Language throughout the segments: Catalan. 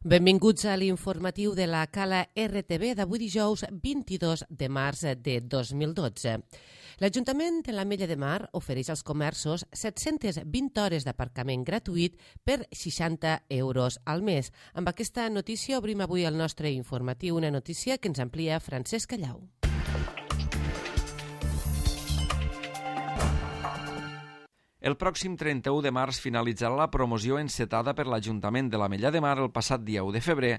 Benvinguts a l'informatiu de la Cala RTV d'avui dijous 22 de març de 2012. L'Ajuntament de l'Ametlla de Mar ofereix als comerços 720 hores d'aparcament gratuït per 60 euros al mes. Amb aquesta notícia obrim avui el nostre informatiu, una notícia que ens amplia Francesc Callau. El pròxim 31 de març finalitzarà la promoció encetada per l'Ajuntament de l'Ametlla de Mar el passat dia 1 de febrer,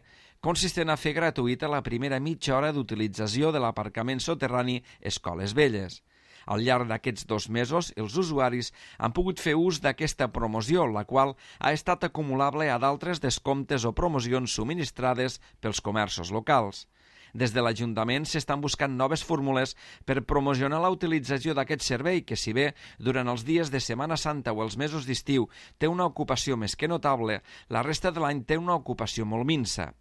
consistent a fer gratuïta la primera mitja hora d'utilització de l'aparcament soterrani Escoles Velles. Al llarg d'aquests 2 mesos, els usuaris han pogut fer ús d'aquesta promoció, la qual ha estat acumulable a d'altres descomptes o promocions subministrades pels comerços locals. Des de l'Ajuntament s'estan buscant noves fórmules per promocionar la utilització d'aquest servei que, si bé durant els dies de Setmana Santa o els mesos d'estiu té una ocupació més que notable, la resta de l'any té una ocupació molt minsa.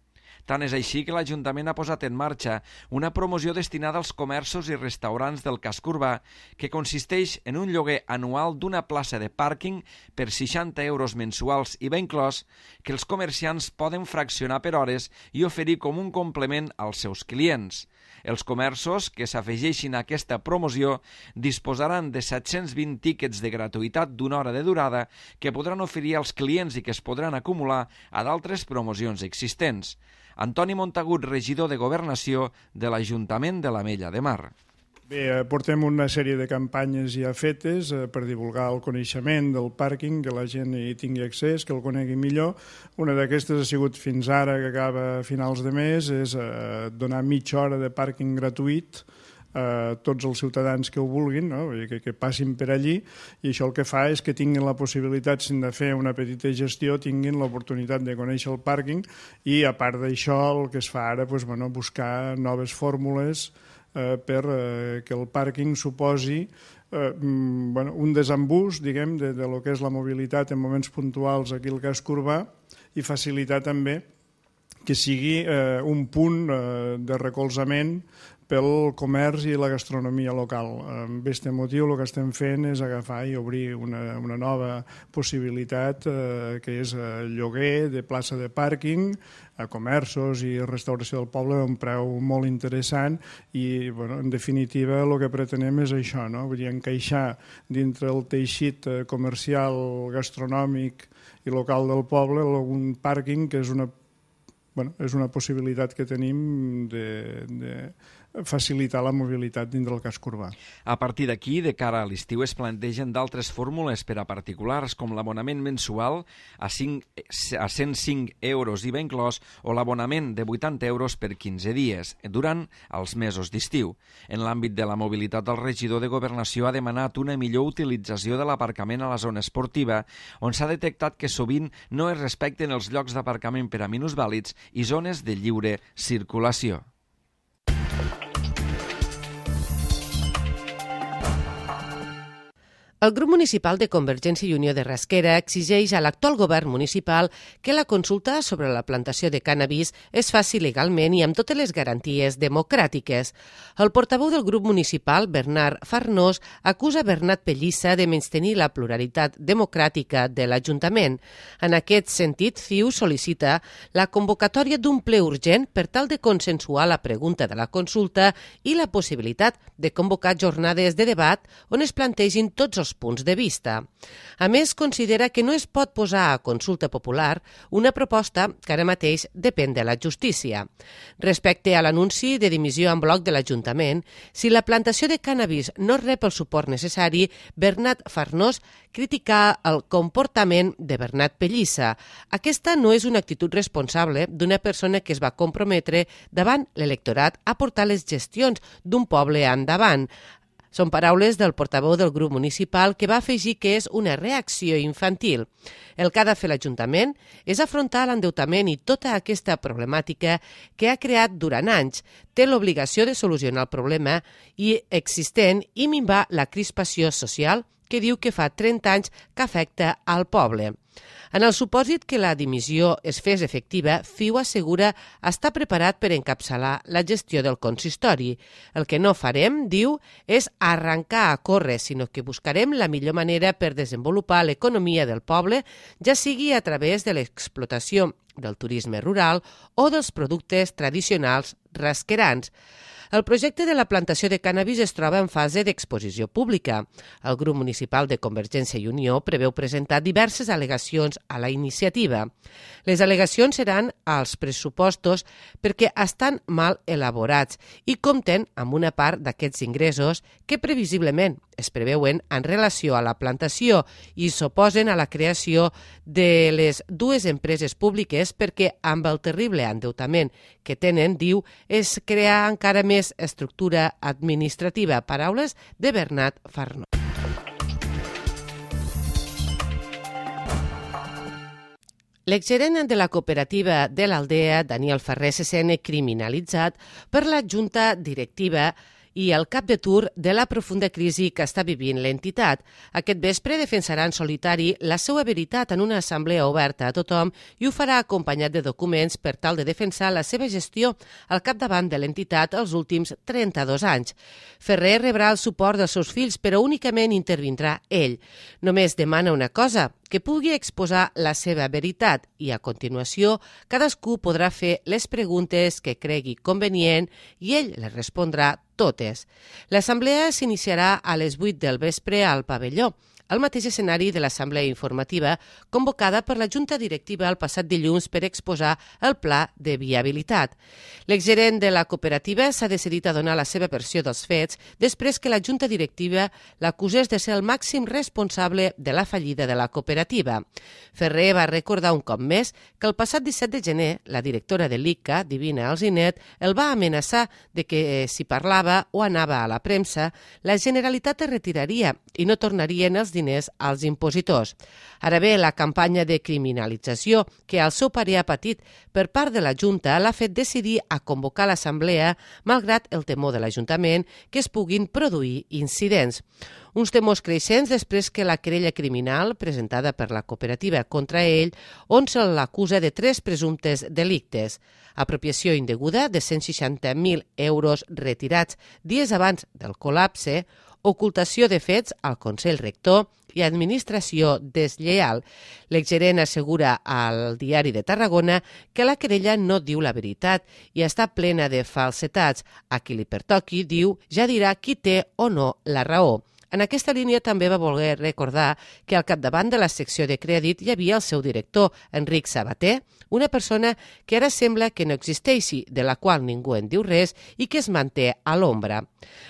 Tant és així que l'Ajuntament ha posat en marxa una promoció destinada als comerços i restaurants del casc urbà que consisteix en un lloguer anual d'una plaça de pàrquing per 60 euros mensuals i ben inclòs que els comerciants poden fraccionar per hores i oferir com un complement als seus clients. Els comerços que s'afegeixin a aquesta promoció disposaran de 720 tíquets de gratuïtat d'una hora de durada que podran oferir als clients i que es podran acumular a d'altres promocions existents. Antoni Montagut, regidor de Governació de l'Ajuntament de l'Ametlla de Mar. Bé, portem una sèrie de campanyes ja fetes per divulgar el coneixement del pàrquing, que la gent hi tingui accés, que el conegui millor. Una d'aquestes ha sigut fins ara, que acaba a finals de mes, és donar mitja hora de pàrquing gratuït a tots els ciutadans que ho vulguin, no? que passin per allí, i això el que fa és que tinguin la possibilitat, si han de fer una petita gestió, tinguin l'oportunitat de conèixer el pàrquing, i a part d'això el que es fa ara, buscar noves fórmules per que el pàrquing suposi un desembús, diguem, de lo que és la mobilitat en moments puntuals aquí al casc urbà, i facilitar també que sigui un punt de recolzament pel comerç i la gastronomia local. Amb aquest motiu el que estem fent és agafar i obrir una nova possibilitat que és el lloguer de plaça de pàrquing a comerços i restauració del poble a un preu molt interessant i, en definitiva, el que pretenem és això, no? Vull dir, encaixar dintre el teixit comercial, gastronòmic i local del poble un pàrquing que és una possibilitat que tenim de facilitar la mobilitat dins del casc urbà. A partir d'aquí, de cara a l'estiu, es plantegen d'altres fórmules per a particulars, com l'abonament mensual a 105 euros IVA inclòs o l'abonament de 80 euros per 15 dies, durant els mesos d'estiu. En l'àmbit de la mobilitat, el regidor de Governació ha demanat una millor utilització de l'aparcament a la zona esportiva, on s'ha detectat que sovint no es respecten els llocs d'aparcament per a minusvàlids i zones de lliure circulació. El grup municipal de Convergència i Unió de Rasquera exigeix a l'actual govern municipal que la consulta sobre la plantació de cànnabis es faci legalment i amb totes les garanties democràtiques. El portaveu del grup municipal, Bernat Farnós, acusa Bernat Pellissa de menystenir la pluralitat democràtica de l'Ajuntament. En aquest sentit, CiU sol·licita la convocatòria d'un ple urgent per tal de consensuar la pregunta de la consulta i la possibilitat de convocar jornades de debat on es plantegin tots els punts de vista. A més, considera que no es pot posar a consulta popular una proposta que ara mateix depèn de la justícia. Respecte a l'anunci de dimissió en bloc de l'Ajuntament, si la plantació de cànnabis no rep el suport necessari, Bernat Farnós critica el comportament de Bernat Pellissa. Aquesta no és una actitud responsable d'una persona que es va comprometre davant l'electorat a portar les gestions d'un poble endavant. Són paraules del portaveu del grup municipal que va afegir que és una reacció infantil. El que ha de fer l'Ajuntament és afrontar l'endeutament i tota aquesta problemàtica que ha creat durant anys. Té l'obligació de solucionar el problema existent i minvar la crispació social que diu que fa 30 anys que afecta al poble. En el supòsit que la dimissió es fes efectiva, FIU assegura estar preparat per encapçalar la gestió del consistori. El que no farem, diu, és arrencar a córrer, sinó que buscarem la millor manera per desenvolupar l'economia del poble, ja sigui a través de l'explotació del turisme rural o dels productes tradicionals rasquerans. El projecte de la plantació de cànnabis es troba en fase d'exposició pública. El grup municipal de Convergència i Unió preveu presentar diverses al·legacions a la iniciativa. Les al·legacions seran als pressupostos perquè estan mal elaborats i compten amb una part d'aquests ingressos que previsiblement es preveuen en relació a la plantació i s'oposen a la creació de les dues empreses públiques perquè amb el terrible endeutament que tenen, diu, és crear encara més estructura administrativa. Paraules de Bernat Farnó. L'exgerent de la cooperativa de l'Aldea, Daniel Ferrer, se sent criminalitzat per la junta directiva i el cap de tur de la profunda crisi que està vivint l'entitat. Aquest vespre defensarà en solitari la seva veritat en una assemblea oberta a tothom i ho farà acompanyat de documents per tal de defensar la seva gestió al capdavant de l'entitat els últims 32 anys. Ferrer rebrà el suport dels seus fills, però únicament intervindrà ell. Només demana una cosa, que pugui exposar la seva veritat i, a continuació, cadascú podrà fer les preguntes que cregui convenient i ell les respondrà totes. L'assemblea s'iniciarà a les 8 del vespre al pavelló, al mateix escenari de l'assemblea informativa convocada per la Junta Directiva el passat dilluns per exposar el pla de viabilitat. L'exgerent de la cooperativa s'ha decidit a donar la seva versió dels fets després que la Junta Directiva l'acusés de ser el màxim responsable de la fallida de la cooperativa. Ferrer va recordar un cop més que el passat 17 de gener la directora de l'ICA, Divina Alzinet, el va amenaçar de que si parlava o anava a la premsa, la Generalitat es retiraria i no tornarien els diners als impositors. Ara bé, la campanya de criminalització que al seu parer ha patit per part de la Junta l'ha fet decidir a convocar l'assemblea malgrat el temor de l'Ajuntament que es puguin produir incidents. Uns temors creixents després que la querella criminal presentada per la cooperativa contra ell, on se l'acusa de 3 presumptes delictes: apropiació indeguda de 160.000 euros retirats dies abans del col·lapse, ocultació de fets al Consell Rector i administració deslleial. L'exgerent assegura al Diari de Tarragona que la querella no diu la veritat i està plena de falsetats. A qui li pertoqui, diu, ja dirà qui té o no la raó. En aquesta línia també va voler recordar que al capdavant de la secció de crèdit hi havia el seu director, Enric Sabater, una persona que ara sembla que no existeixi, de la qual ningú en diu res i que es manté a l'ombra.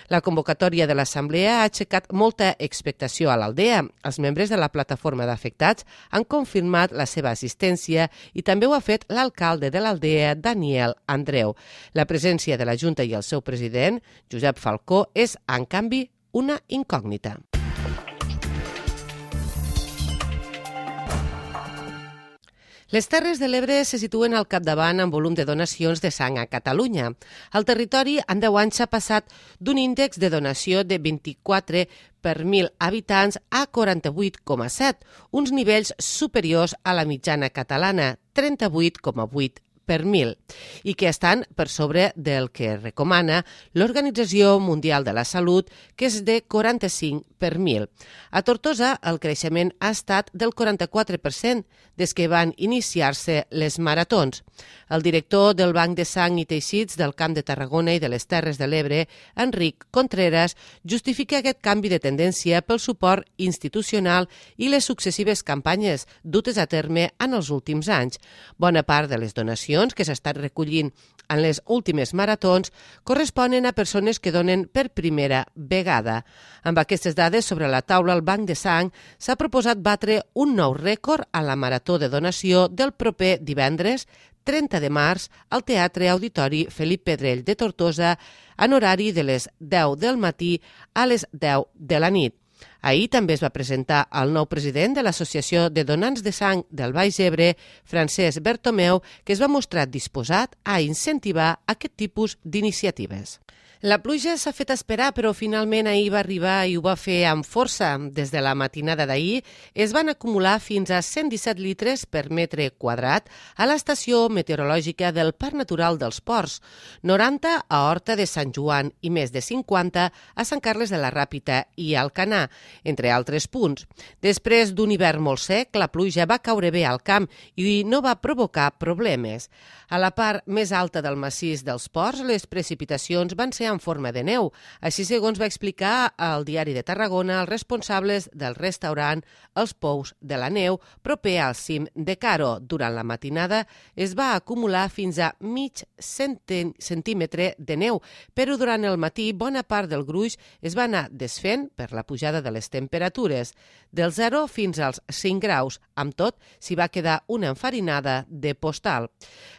La convocatòria de l'assemblea ha aixecat molta expectació a l'Aldea. Els membres de la plataforma d'afectats han confirmat la seva assistència i també ho ha fet l'alcalde de l'Aldea, Daniel Andreu. La presència de la Junta i el seu president, Josep Falcó, és, en canvi, una incògnita. Les Terres de l'Ebre se situen al capdavant en volum de donacions de sang a Catalunya. El territori en 10 anys s'ha passat d'un índex de donació de 24 per 1.000 habitants a 48,7, uns nivells superiors a la mitjana catalana, 38,8 per 1.000, i que estan per sobre del que recomana l'Organització Mundial de la Salut, que és de 45 per 1.000. A Tortosa, el creixement ha estat del 44% des que van iniciar-se les maratons. El director del Banc de Sang i Teixits del Camp de Tarragona i de les Terres de l'Ebre, Enric Contreras, justifica aquest canvi de tendència pel suport institucional i les successives campanyes dutes a terme en els últims anys. Bona part de les donacions que s'estan recollint en les últimes maratons corresponen a persones que donen per primera vegada. Amb aquestes dades sobre la taula, el Banc de Sang s'ha proposat batre un nou rècord a la marató de donació del proper divendres 30 de març al Teatre Auditori Felip Pedrell de Tortosa en horari de les 10 del matí a les 10 de la nit. Ahir també es va presentar el nou president de l'Associació de Donants de Sang del Baix Ebre, Francesc Bertomeu, que es va mostrar disposat a incentivar aquest tipus d'iniciatives. La pluja s'ha fet esperar, però finalment ahir va arribar i ho va fer amb força. Des de la matinada d'ahir es van acumular fins a 117 litres per metre quadrat a l'estació meteorològica del Parc Natural dels Ports, 90 a Horta de Sant Joan i més de 50 a Sant Carles de la Ràpita i Alcanar, entre altres punts. Després d'un hivern molt sec, la pluja va caure bé al camp i no va provocar problemes. A la part més alta del massís dels Ports, les precipitacions van ser en forma de neu. Així segons va explicar al Diari de Tarragona els responsables del restaurant Els Pous de la Neu, proper al cim de Caro. Durant la matinada es va acumular fins a mig centímetre de neu, però durant el matí bona part del gruix es va anar desfent per la pujada de les temperatures. Del 0 fins als 5 graus. Amb tot, s'hi va quedar una enfarinada de postal.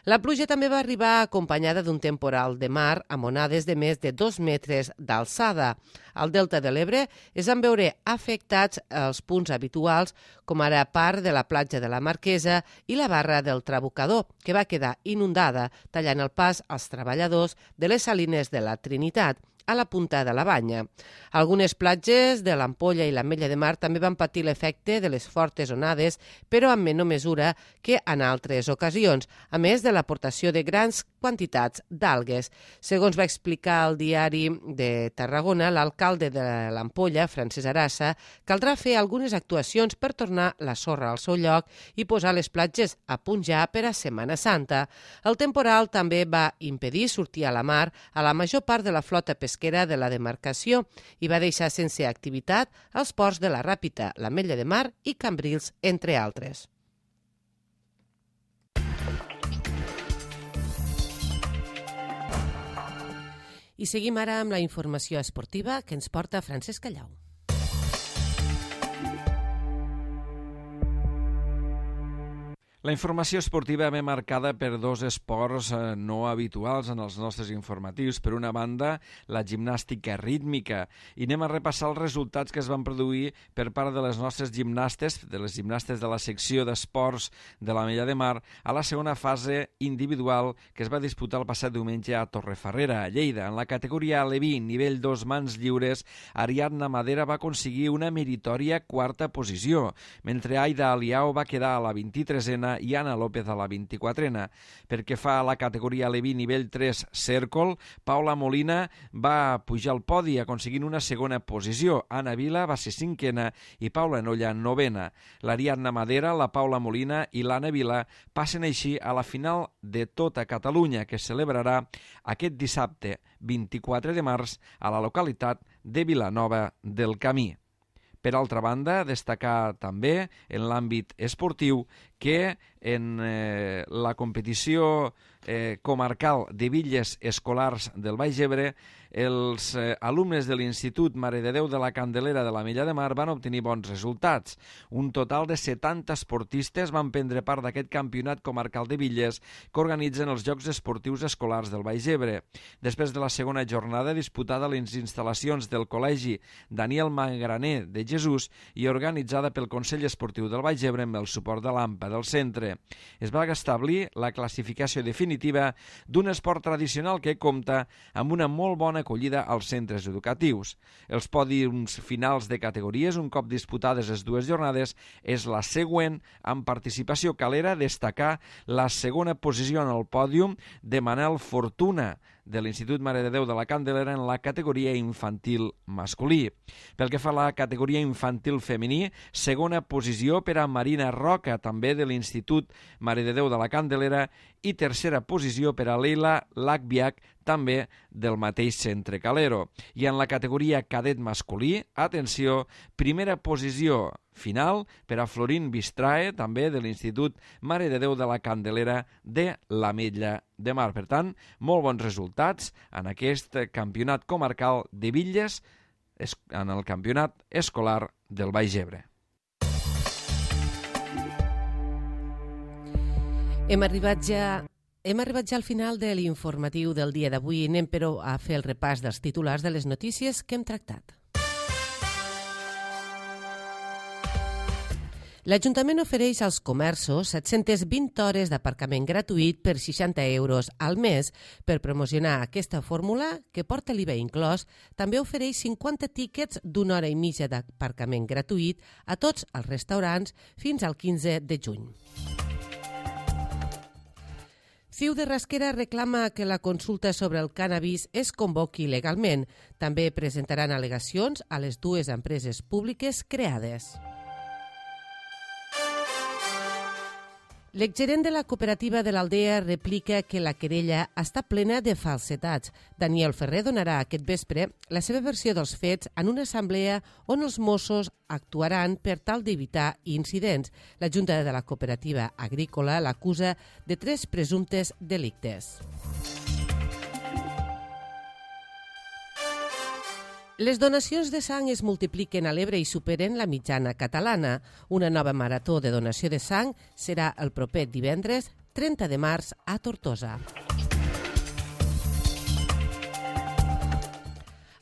La pluja també va arribar acompanyada d'un temporal de mar amb onades de més de 2 metres d'alçada. Al Delta de l'Ebre es van veure afectats els punts habituals, com ara part de la platja de la Marquesa i la barra del Trabucador, que va quedar inundada, tallant el pas als treballadors de les salines de la Trinitat, a la punta de la Banya. Algunes platges de l'Ampolla i l'Ametlla de Mar també van patir l'efecte de les fortes onades, però en menor mesura que en altres ocasions, a més de l'aportació de grans quantitats d'algues. Segons va explicar el Diari de Tarragona, l'alcalde de l'Ampolla, Francesc Arassa, caldrà fer algunes actuacions per tornar la sorra al seu lloc i posar les platges a punt ja per a Setmana Santa. El temporal també va impedir sortir a la mar a la major part de la flota pesquera de la demarcació i va deixar sense activitat els ports de la Ràpita, l'Ametlla de Mar i Cambrils, entre altres. I seguim ara amb la informació esportiva que ens porta Francesc Callau. La informació esportiva ve marcada per dos esports no habituals en els nostres informatius. Per una banda, la gimnàstica rítmica. I anem a repassar els resultats que es van produir per part de les nostres gimnastes, de les gimnastes de la secció d'esports de l'Ametlla de Mar, a la segona fase individual que es va disputar el passat diumenge a Torrefarrera, a Lleida. En la categoria Aleví, nivell 2 mans lliures, Ariadna Madera va aconseguir una meritòria quarta posició, mentre Aida Aliao va quedar a la 23a i Anna López a la 24a. Perquè fa a la categoria Aleví nivell 3 Cèrcol, Paula Molina va pujar al podi aconseguint una segona posició. Anna Vila va ser 5a i Paula Nolla 9a. L'Ariadna Madera, la Paula Molina i l'Anna Vila passen així a la final de tota Catalunya, que es celebrarà aquest dissabte 24 de març a la localitat de Vilanova del Camí. Per altra banda, destacar també en l'àmbit esportiu que en la competició comarcal de bitlles escolars del Baix Ebre, els alumnes de l'Institut Mare de Déu de la Candelera de l'Ametlla de Mar van obtenir bons resultats. Un total de 70 esportistes van prendre part d'aquest campionat comarcal de bitlles que organitzen els Jocs Esportius Escolars del Baix Ebre. Després de la segona jornada disputada a les instal·lacions del Col·legi Daniel Mangraner de Jesús i organitzada pel Consell Esportiu del Baix Ebre amb el suport de l'AMPA del centre. Es va establir la classificació definitiva d'un esport tradicional que compta amb una molt bona acollida als centres educatius. Els pòdiums finals de categories, un cop disputades les dues jornades, és la següent. Amb participació calera, destacar la segona posició en el pòdium de Manel Fortuna, de l'Institut Mare de Déu de la Candelera en la categoria infantil masculí. Pel que fa a la categoria infantil femení, segona posició per a Marina Roca, també de l'Institut Mare de Déu de la Candelera, i tercera posició per a Leila Lacbiac, també del mateix centre Calero. I en la categoria cadet masculí, atenció, primera posició final per a Florín Bistrae, també de l'Institut Mare de Déu de la Candelera de l'Ametlla de Mar. Per tant, molt bons resultats en aquest campionat comarcal de bitlles, en el campionat escolar del Baix Ebre. Hem arribat ja al final de l'informatiu del dia d'avui. Anem, però, a fer el repàs dels titulars de les notícies que hem tractat. L'Ajuntament ofereix als comerços 720 hores d'aparcament gratuït per 60 euros al mes. Per promocionar aquesta fórmula, que porta l'IVA inclòs, també ofereix 50 tíquets d'una hora i mitja d'aparcament gratuït a tots els restaurants fins al 15 de juny. CiU de Rasquera reclama que la consulta sobre el cànnabis es convoqui legalment. També presentaran al·legacions a les dues empreses públiques creades. L'exgerent de la cooperativa de l'Aldea replica que la querella està plena de falsetats. Daniel Ferrer donarà aquest vespre la seva versió dels fets en una assemblea on els Mossos actuaran per tal d'evitar incidents. La Junta de la Cooperativa Agrícola l'acusa de 3 presumptes delictes. Les donacions de sang es multipliquen a l'Ebre i superen la mitjana catalana. Una nova marató de donació de sang serà el proper divendres 30 de març a Tortosa.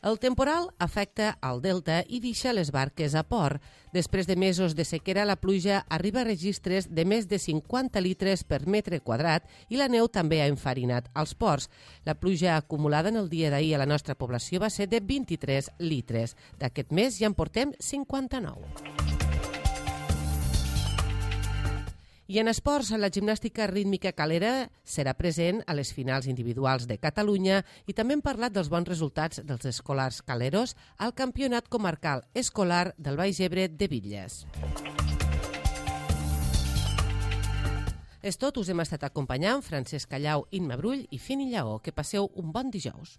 El temporal afecta al delta i deixa les barques a port. Després de mesos de sequera, la pluja arriba a registres de més de 50 litres per metre quadrat i la neu també ha enfarinat als ports. La pluja acumulada en el dia d'ahir a la nostra població va ser de 23 litres. D'aquest mes ja en portem 59. I en esports, la gimnàstica rítmica calera serà present a les finals individuals de Catalunya i també hem parlat dels bons resultats dels escolars caleros al Campionat Comarcal Escolar del Baix Ebre de Bitlles. És tot, us hem estat acompanyant Francesc Callau, Imma Brull i Fini Lleó. Que passeu un bon dijous.